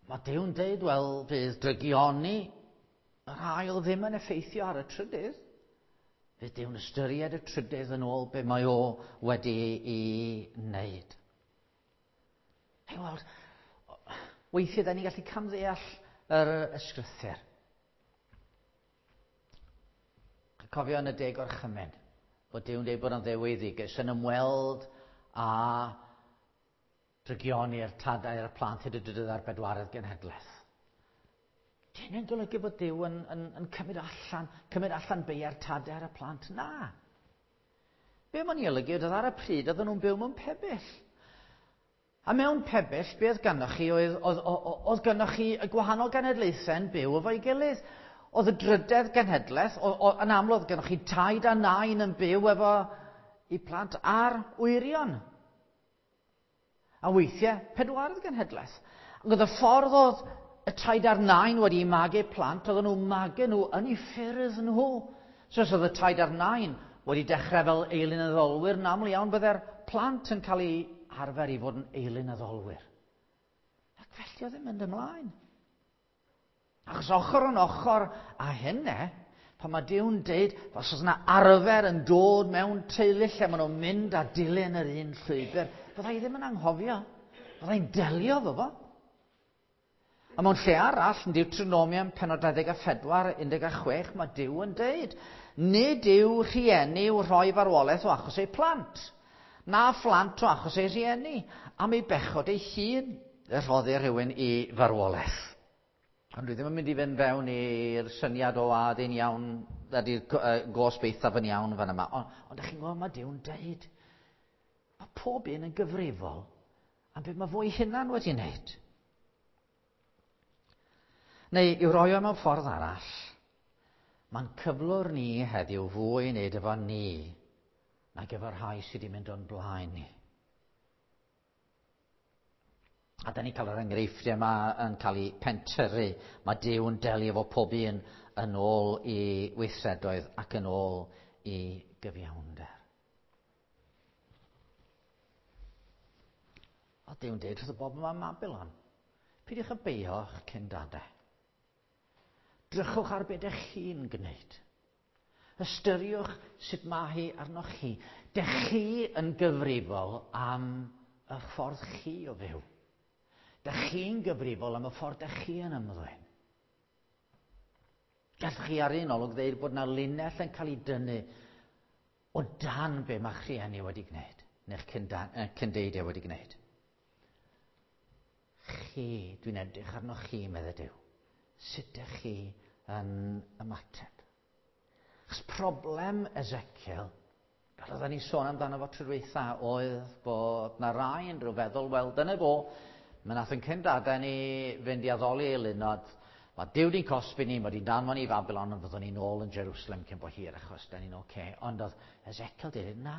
Mae Duw'n deud, wel, bydd drygioni yr ail ddim yn effeithio ar y trydydd. Fydd Duw'n ystyried y trydydd yn ôl be mae o wedi ei wneud. Hei, weld, weithiau da ni'n gallu camddeall yr ysgrythur. Cofio yn y deg orchymyn, bod Duw'n dweud bod o'n ddeweiddigus yn ymweld â drygioni'r tadau a'r plant hyd y drydydd a'r bedwaredd genhedlaeth. Dyn nhw'n golygu bod Duw yn, yn, yn cymryd allan, cymryd allan beiau'r tadau ar y plant? Na. Be mae'n ei olygu oedd ar y pryd oedden nhw'n byw mewn pebyll. A mewn pebyll, be oedd gynnoch chi oedd, oedd, oedd, oedd gynnoch chi y gwahanol genedlaethau yn byw efo'i gilydd. Oedd y drydedd genhedlaeth, o, o, yn amlwg oedd gynnoch chi taid a nain yn byw efo eu plant a'r wyrion. A weithiau, pedwaredd genhedlaeth. Ac oedd y ffordd oedd y taid a'r nain wedi magu plant, oedden nhw'n magu nhw yn eu ffyrdd nhw. So os oedd y taid a'r nain wedi dechrau fel eilunaddolwyr, yn aml iawn byddai'r plant yn cael eu arfer i fod yn eilunaddolwyr. Ac felly oedd yn mynd ymlaen. Achos ochr yn ochr a hynny, pan mae Duw'n deud, os oes yna arfer yn dod mewn teulu lle maen nhw'n mynd a dilyn yr un llwybr, fydda i ddim yn anghofio. Fydda i'n delio efo fo. A mewn lle arall, yn Deuteronomium pennod dau ddeg a phedwar, un deg a chwech, mae Duw yn deud, nid yw rhieni i'w rhoi farwolaeth o achos eu plant, na phlant o achos eu rhieni, am ei bechod ei hun y rhoddir rhywun i farwolaeth. Ond dwi ddim yn mynd i fynd fewn i'r syniad o a ydy'n iawn, ydy'r gosb eithaf yn iawn fan yma. Ond, ond ydych chi'n gwybod, mae Duw'n deud, mae pob un yn gyfrifol am beth mae fo'i hunan wedi wneud. Neu i'w roi o mewn ffordd arall, mae'n cyflwr ni heddiw fwy i wneud efo ni nag efo'r rhai sydd wedi mynd o'n blaen ni. A da ni'n cael yr enghreifftiau yma yn cael eu pentyrru. Mae Duw yn delio efo pob un yn ôl i weithredoedd ac yn ôl i gyfiawnder. A Duw'n deud wrth y bobl yma ym Mabilon, peidiwch â beio'ch cyndadau. Drychwch ar beth ydych chi'n gwneud. Ystyriwch sut mae hi arnoch chi. Dych chi yn gyfrifol am y ffordd chi o fyw. Dych chi'n gyfrifol am y ffordd dych chi yn ymddwyn. Gallwch chi ar un olwg ddeud bod yna linell yn cael ei dynnu o dan be mae'ch rhieni wedi gwneud, neu'ch cyndeidiau wedi gwneud. Chi, dwi'n edrych arnoch chi, meddai Duw. Sut ydych chi yn ymateb? Achos problem Ezekiel, fel oedden ni sôn amdano fo tro dwytha, oedd bod na rai yn rhyw feddwl, wel, dyna fo, mae nath yn cyndadau ni fynd i addoli eilunod, mae Duw di'n cosbi ni, mae di'n danfon ni i Babylon, ond fyddwn ni'n ôl yn Jerusalem cyn bo hir, achos da ni'n oce. Okay. Ond oedd Ezekiel dweud, na,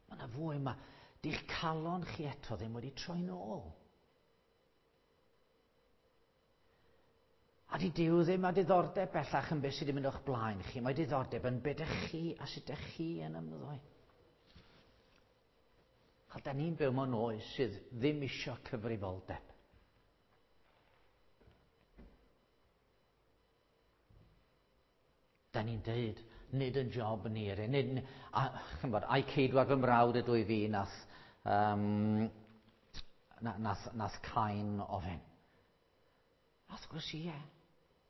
mae yna fwy, mae di'ch calon chi eto ddim wedi troi nôl. A di Duw ddim â diddordeb bellach yn beth sydd wedi mynd o'ch blaen chi. Mae diddordeb yn beth ydych chi a sut ydych chi yn ymddwyn. A da ni'n byw mewn oes sydd ddim isio cyfrifoldeb. Da ni'n deud, nid yn job ni, nid, a, chymod, ai ceidwad fy mrawd ydw i fi nath, um, nath, nath Cain ofyn. A wrth gwrs, ie,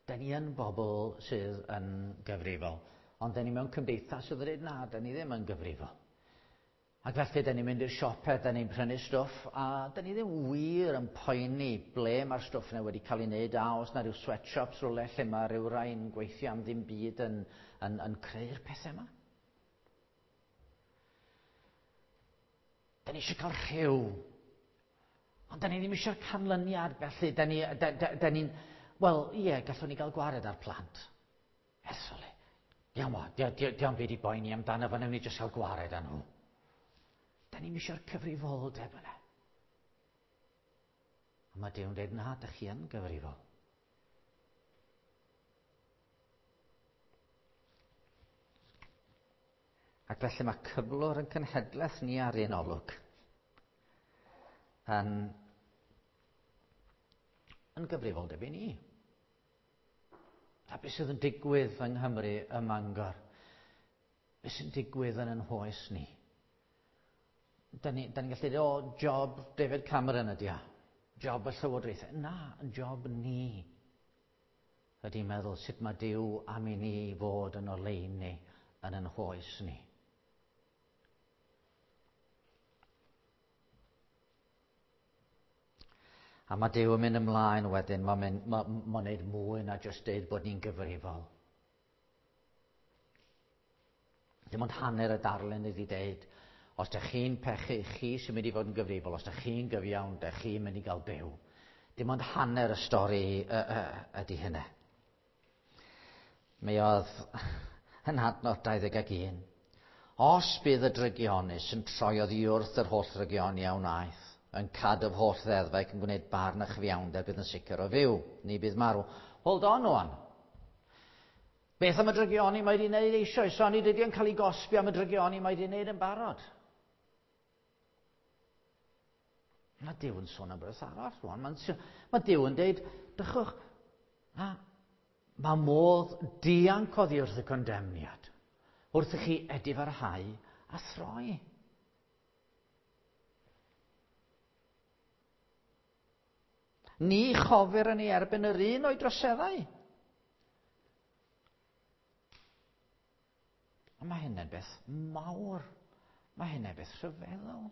da ni yn bobl sydd yn gyfrifol, ond da ni mewn cymdeithas sydd yn dweud, na, da ni ddim yn gyfrifol. Ac felly, da ni'n mynd i'r siopau, da ni'n prynu stwff, a da ni ddim wir yn poeni ble mae'r stwff yna wedi cael ei wneud, a os na rhyw sweatshops rhywle lle mae rhyw rai'n gweithio am ddim byd yn, yn, yn creu'r pethau yma. Da ni eisiau cael rhyw, ond da ni ddim eisiau'r canlyniad, felly da ni, da, da, da ni'n, wel, ie, gallwn ni gael gwared ar plant. Esoli, diolch o, diolch byd i boeni amdano fo, newn ni jyst cael gwared â nhw. Da ni'n eisiau'r cyfrifoldeb yna. A mae Duw'n dweud, na, dych chi yn gyfrifol. Ac felly mae cyflwr yn cenhedlaeth ni ar un olwg yn, yn gyfrifoldeb i ni. A beth sydd yn digwydd yng Nghymru ym Mangor? Be sy'n digwydd yn yn hoes ni? Da ni'n ni gallu dweud, o, job David Cameron ydi o. Job y llywodraethau. Na, yn job ni. Ydy meddwl sut mae Duw am i ni fod yn oleuni yn yn hoes ni. A mae Duw yn mynd ymlaen wedyn, mae'n mynd, ma, ma wneud mwy na jyst deud bod ni'n gyfrifol. Dim ond hanner y darlun ydi deud, os dych chi'n pechu, chi sy'n mynd i fod yn gyfrifol, os dych chi'n gyfiawn, dych chi'n mynd i gael byw. Dim ond hanner y stori ydy hynny. Mi oedd yn adnod dau ddeg ac un. Os bydd y drygionus yn troi oddi wrth yr holl drygioni a wnaeth, yn cadw'r holl ddeddfau ac yn gwneud barn a chyfiawnder, bydd yn sicr o fyw, ni bydd marw. Hold on wan. Beth am y drygioni mae wedi wneud eisoes? So, ni dydy yn cael ei gosbi am y drygioni mae wedi wneud yn barod. Mae Duw yn sôn am beth arall rwan. Mae, mae Duw yn deud, dychwch, na, mae modd dianc oddi wrth y condemniad, wrth i chi edifarhau a throi. Ni chofir yn ei erbyn yr un o'i droseddau. A mae hynny'n beth mawr. Mae hynny'n beth rhyfeddol.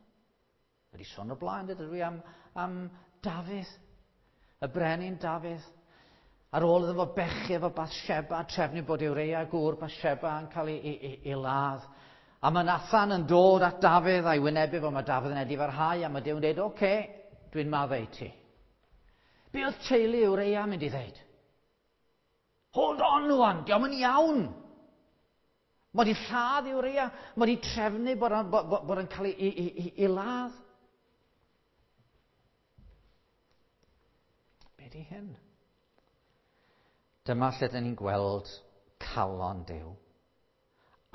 Wedi sôn o blaen, dydw i am, am Dafydd, y brenin Dafydd. Ar ôl iddo fo bechu efo Bathsheba, trefnu bod Ureia gŵr Bathsheba yn cael ei, ei, ei, ei ladd. A mae Nathan yn dod at Dafydd a'i wynebu fo, mae Dafydd yn edifarhau, a mae Duw yn dweud, oce, okay, dwi'n maddau ti. Be oedd teulu Ureia mynd i ddeud? Hold on wan, diolch yn iawn. Mae wedi lladd Ureia, mae wedi trefnu bod o'n, bod, bod o'n cael ei, ei, ei, ei ladd. Be di hyn? Dyma lle dyn ni'n gweld calon Duw.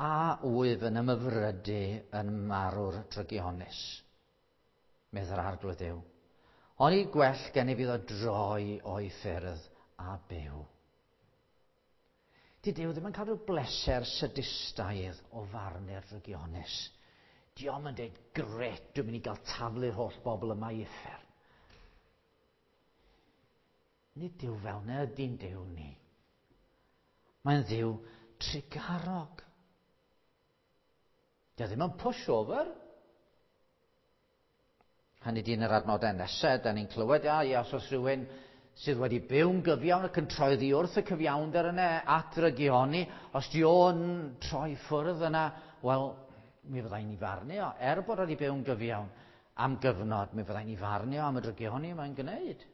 A wyf yn ymhyfrydu yn marw'r drygionus, medd yr Arglwydd Duw. Oni gwell gennyf iddo droi o'i ffyrdd a byw. Di Duw ddim yn cael rhyw bleser sadistaidd o farnu'r drygionus. Dio'm yn dweud, gret, dwi'n mynd i gael taflu'r holl bobl yma i uffern. Nid Duw fel na ydy'n Duw ni. Mae'n Dduw trugarog. Dio ddim yn pushover. Hynny di yn yr adnodau nesaf, da ni'n clywed, ia, ia, os oes rhywun sydd wedi byw'n gyfiawn ac yn troi oddi wrth y cyfiawnder yna at drygioni, os di o'n troi ffwrdd yna, wel, mi fyddai'n ei farnu o. Er bod wedi byw'n gyfiawn am gyfnod, mi fyddai'n ei farnu o am y drygioni mae'n gwneud.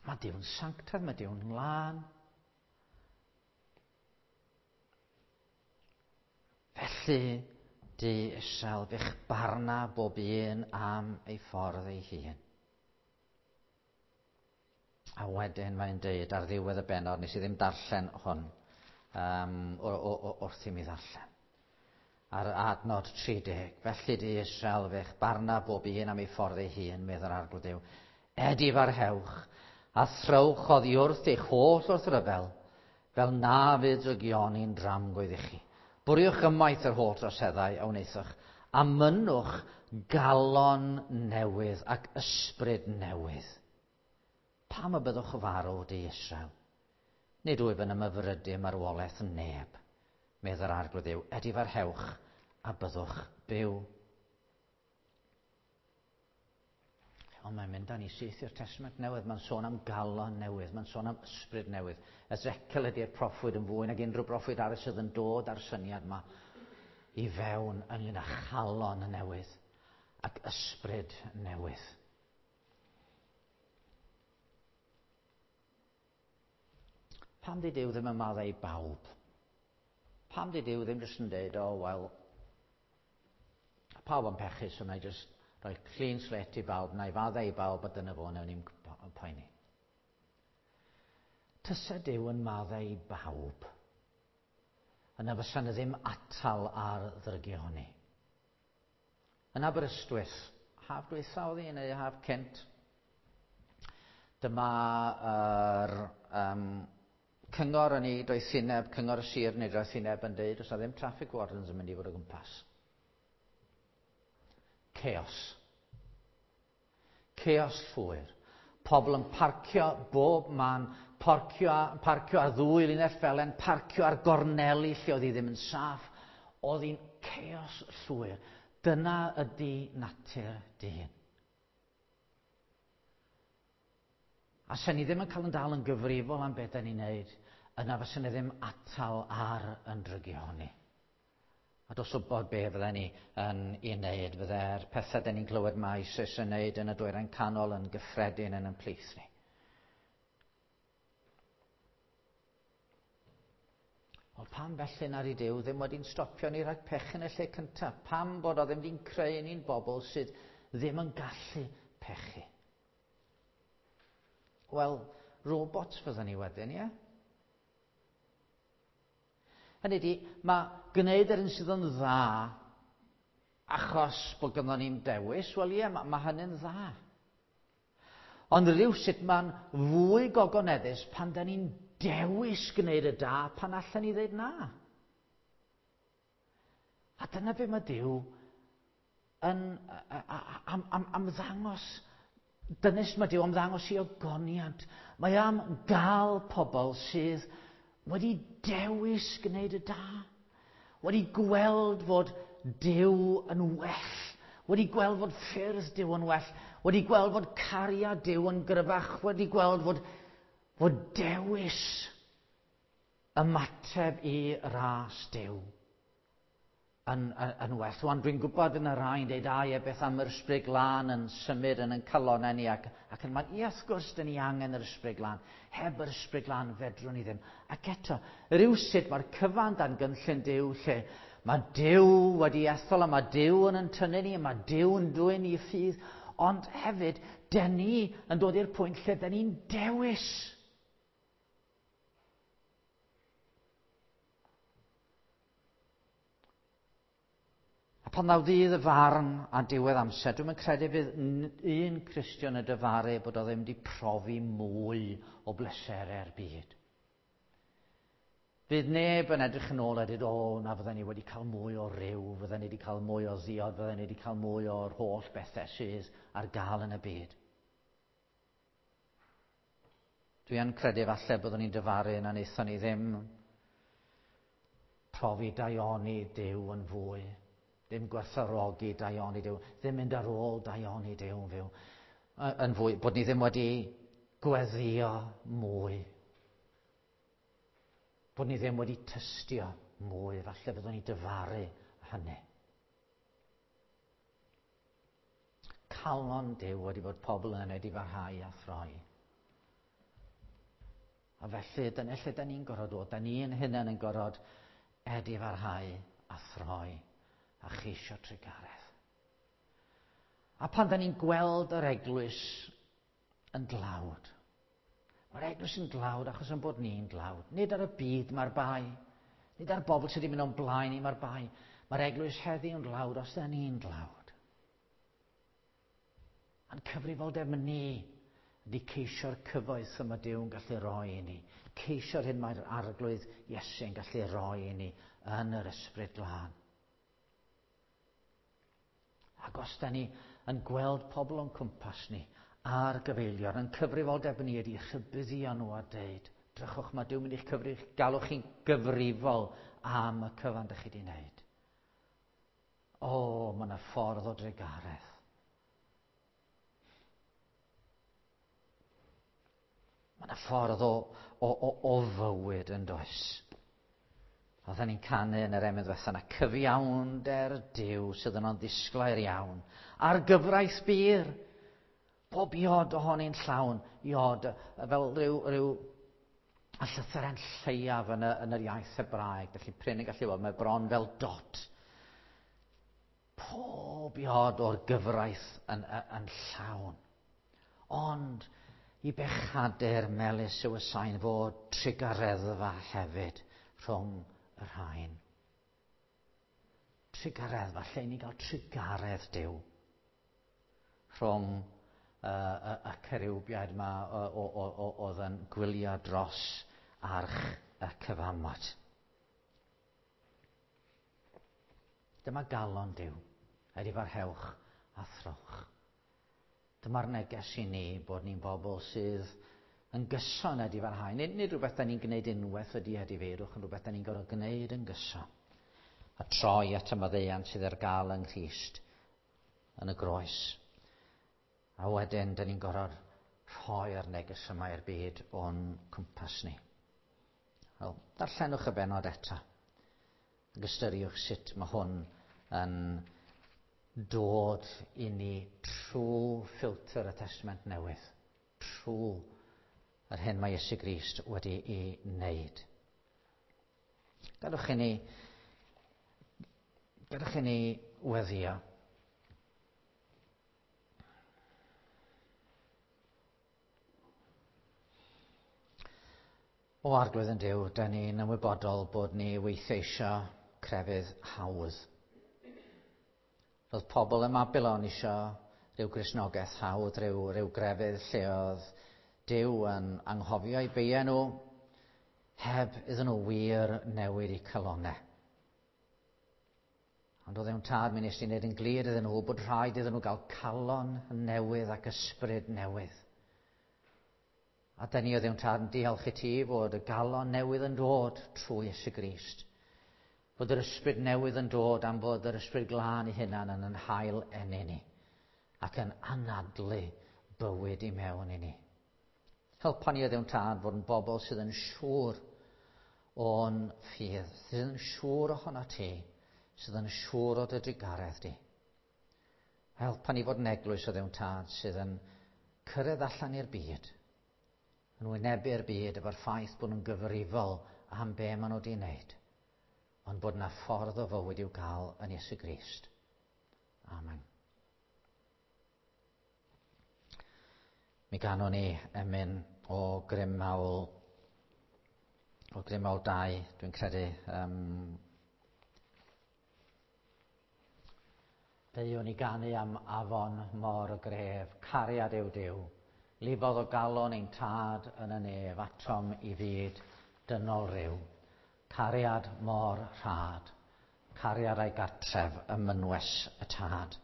Mae Duw'n sanctaidd, mae Duw'n lân. Felly, du Israel, fe'ch barna bob un am ei ffordd ei hun. A wedyn mae'n deud ar ddiwedd y bennod, nes i ddim darllen hwn um, wrth i mi ddarllen. Ar adnod tri deg, felly du Israel, fe'ch barna bob un am ei ffordd ei hun, medd yr Arglwydd Duw. Edifarhewch a throwch oddi wrth eich holl wrthryfel, fel na fydd drygioni'n dramgwydd i chi. Bwriwch ymaith yr holl droseddau a wnaethoch, a mynnwch galon newydd ac ysbryd newydd. Pam y byddwch farw, di Israel? Nid wyf yn ymhyfrydu marwolaeth neb, medd yr Arglwydd Duw. Edifarhewch a byddwch byw. Ond mae'n mynd â ni syth i'r Testament Newydd. Mae'n sôn am galon newydd, mae'n sôn am ysbryd newydd. Ezekiel ydy'r proffwyd yn fwy nag unrhyw broffwyd arall sydd yn dod â'r syniad yma i fewn ynglyn â chalon newydd ac ysbryd newydd. Pam di Duw ddim yn maddau i bawb? Pam di Duw ddim jyst yn dweud, o, oh, wel, pawb yn pechu, so na i jyst rhoi clean slate i bawb, na i faddau i bawb, a dyna fo, newn ni'n poeni. Tysa Duw yn maddau i bawb, yna fysa na ddim atal ar ddrygioni. Yn Aberystwyth, haf dwytha oedd hi, neu haf cynt, dyma yr um, Cyngor yn ei doethineb, cyngor y sir yn ei doethineb yn dweud, oes na ddim traffic wardens yn mynd i fod o gwmpas. Chaos. Chaos llwyr. Pobl yn parcio bob man, parcio, parcio ar ddwy linell felen, parcio ar gorneli lle oedd hi ddim yn saff. Oedd hi'n chaos llwyr. Dyna ydy natur dyn. A sen ni ddim yn cael yn dal yn gyfrifol am beth da ni'n neud, yna fysen ni ddim atal ar yn drygioni. A dos wybod be fydden ni yn ei wneud, fydde'r pethau da ni'n clywed mae ISIS yn neud yn y dwyrain canol yn gyffredin yn yn plith ni. Wel, pam felly na i Duw ddim wedi'n stopio ni rhag pechu yn y lle cyntaf? Pam bod o ddim wedi'n creu ni'n bobl sydd ddim yn gallu pechu? Wel, robots fydden ni wedyn, ie? Hynny ydi, mae gwneud yr un sydd yn dda achos bod gynnon ni'n dewis, wel ie, mae, mae hynny'n dda. Ond rhywsut mae'n fwy gogoneddus pan da ni'n dewis gwneud y da pan allan ni ddeud na. A dyna be mae Duw yn am, am, am ddangos. Dyna sut mae Duw am ddangos i ogoniant. Mae am gael pobl sydd wedi dewis gwneud y da, wedi gweld fod Duw yn well, wedi gweld fod ffyrdd Duw yn well, wedi gweld fod cariad Duw yn gryfach, wedi gweld fod, fod dewis ymateb i ras Duw yn, yn, yn well. Wan, dwi'n gwybod yn y rhai'n dweud, a ie, beth am yr Ysbryd Glân yn symud yn yn calonnau ni ac, ac yn man, ie, wrth gwrs, dyn ni angen yr Ysbryd Glân. Heb yr Ysbryd Glân fedrwn ni ddim. Ac eto, rywsut mae'r cyfan dan gynllun Duw lle mae Duw wedi ethol a mae Duw yn yn tynnu ni a mae Duw yn dwyn i ffydd, ond hefyd, dyn ni yn dod i'r pwynt lle dyn ni'n dewis. Pan ddaw ddydd y farn a diwedd amser, dwi'm yn credu fydd un Cristion y dyfaru bod o ddim wedi profi mwy o bleserau'r byd. Fydd neb yn edrych yn ôl a dweud, o, na fydden ni wedi cael mwy o ryw, fydden ni wedi cael mwy o ddiod, fydden ni wedi cael mwy o'r holl bethau sydd ar gael yn y byd. Dwi yn credu falle byddwn ni'n dyfaru na wnaethon ni ddim profi daioni Duw yn fwy. Ddim gwerthfawrogi daioni Duw, ddim mynd ar ôl daioni Duw yn fyw, yn fwy, bod ni ddim wedi gweddio mwy. Bod ni ddim wedi tystio mwy, falle byddwn ni dyfaru hynny. Calon Duw wedi bod pobl yn edifarhau a throi. A felly, dyna lle da ni'n gorfod dod, da ni'n hunain yn gorfod edifarhau a throi a cheisio trugaredd. A pan da ni'n gweld yr eglwys yn dlawd, mae'r eglwys yn dlawd achos yn bod ni'n dlawd. Nid ar y byd mae'r bai, nid ar bobl sydd wedi mynd o'n blaen ni mae'r bai. Mae'r eglwys heddiw yn dlawd os da ni'n dlawd. A'n cyfrifoldeb ni ydy ceisio'r cyfoeth yma Duw yn gallu roi i ni. Ceisio'r hyn mae'r Arglwydd Iesu yn gallu roi i ni yn yr Ysbryd Glân. Ac os da ni yn gweld pobl o'n cwmpas ni a'r gyfeillion, yn cyfrifoldeb ni ydy rhybuddio nhw a deud, drychwch, mae Duw mynd i'ch cyfrif, galwch chi'n gyfrifol am y cyfan dych chi wedi wneud. O, mae yna ffordd o drugaredd. Mae yna ffordd o, o, o, o fywyd yn does. Oedden ni'n canu yn yr emyn ddiwetha yna, cyfiawnder Duw sydd yno'n ddisglair iawn, a'r gyfraith bur, bob iod ohoni'n llawn, iod fel rhyw, rhyw a llythyren lleiaf yn, y, yn yr iaith Hebraeg, felly prin yn gallu weld, mae bron fel dot. Pob iod o'r gyfraith yn, yn, yn llawn. Ond i bechadur melys yw y sain fod trugareddfa hefyd rhwng y rhain. Trugareddfa, lle i ni gael trugaredd Duw rhwng uh, y, y ceriwbiaid yma oedd yn gwylio dros arch y cyfamod. Dyma galon Duw, edifarhewch a throwch. Dyma'r neges i ni bod ni'n bobl sydd yn gyson edifarhau. Nid, nid rhywbeth da ni'n gwneud unwaith ydy edifeirwch, ond rhywbeth da ni'n gorfod gwneud yn gyson. A troi at y maddeuant sydd ar gael yng Nghrist yn y groes. A wedyn, da ni'n gorfod rhoi'r neges yma i'r byd o'n cwmpas ni. Wel, darllenwch y bennod eto. Ac ystyriwch sut mae hwn yn dod i ni trwy ffilter y Testament Newydd. Trwy yr hyn mae Iesu Grist wedi ei wneud. Gadewch i ni, gadewch i ni weddio. O Arglwydd yn Duw, da ni'n ymwybodol bod ni weithiau eisiau crefydd hawdd. Roedd pobl ym Mabilon eisiau rhyw Gristnogaeth hawdd, rhyw, rhyw grefydd lle oedd Duw yn anghofio eu beiau nhw, heb iddyn nhw wir newid eu calonnau. Ond oedd ewn tad, mi nes i wneud yn glir iddyn nhw bod rhaid iddyn nhw gael calon newydd ac ysbryd newydd. A da ni o Dduw Tad yn diolch i ti fod y galon newydd yn dod trwy Iesu Grist. Fod yr ysbryd newydd yn dod am fod yr ysbryd glân ei hunan yn yn hail eni ni ac yn anadlu bywyd i mewn i ni. Helpa ni o Dduw Tad fod yn bobl sydd yn siŵr o'n ffydd, sydd yn siŵr ohono ti, sydd yn siŵr o dy drugaredd di. Helpa ni fod yn eglwys o Dduw Tad sydd yn cyrraedd allan i'r byd, yn wynebu'r byd efo'r ffaith bod nhw'n gyfrifol am be maen nhw wedi wneud, ond bod yna ffordd o fywyd i'w gael yn Iesu Grist. Amen. Mi ganwn ni emyn o Grym Mawl, o Grym Mawl dau, dwi'n credu. Um, Deuwn i ganu am afon mor gref, cariad yw Duw. Lifodd o galon ein tad yn y nef, atom i fyd dynol ryw. Cariad mor rhad, cariad a'i gartref ym mynwes y tad.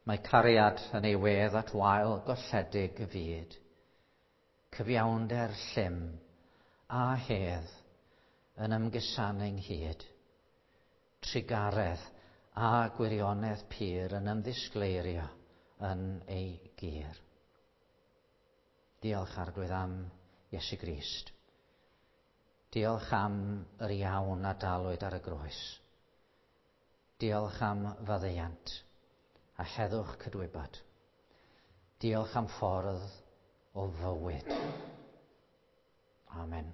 Mae cariad yn ei wedd at wael golledig y fyd. Cyfiawnder llym a hedd yn ymgusanu ynghyd. Trugaredd a gwirionedd pur yn ymddisgleirio yn ei gyr. Diolch Arglwydd am Iesu Grist. Diolch am yr iawn a dalwyd ar y groes. Diolch am faddeuant a heddwch cydwybod. Diolch am ffordd o fywyd. Amen.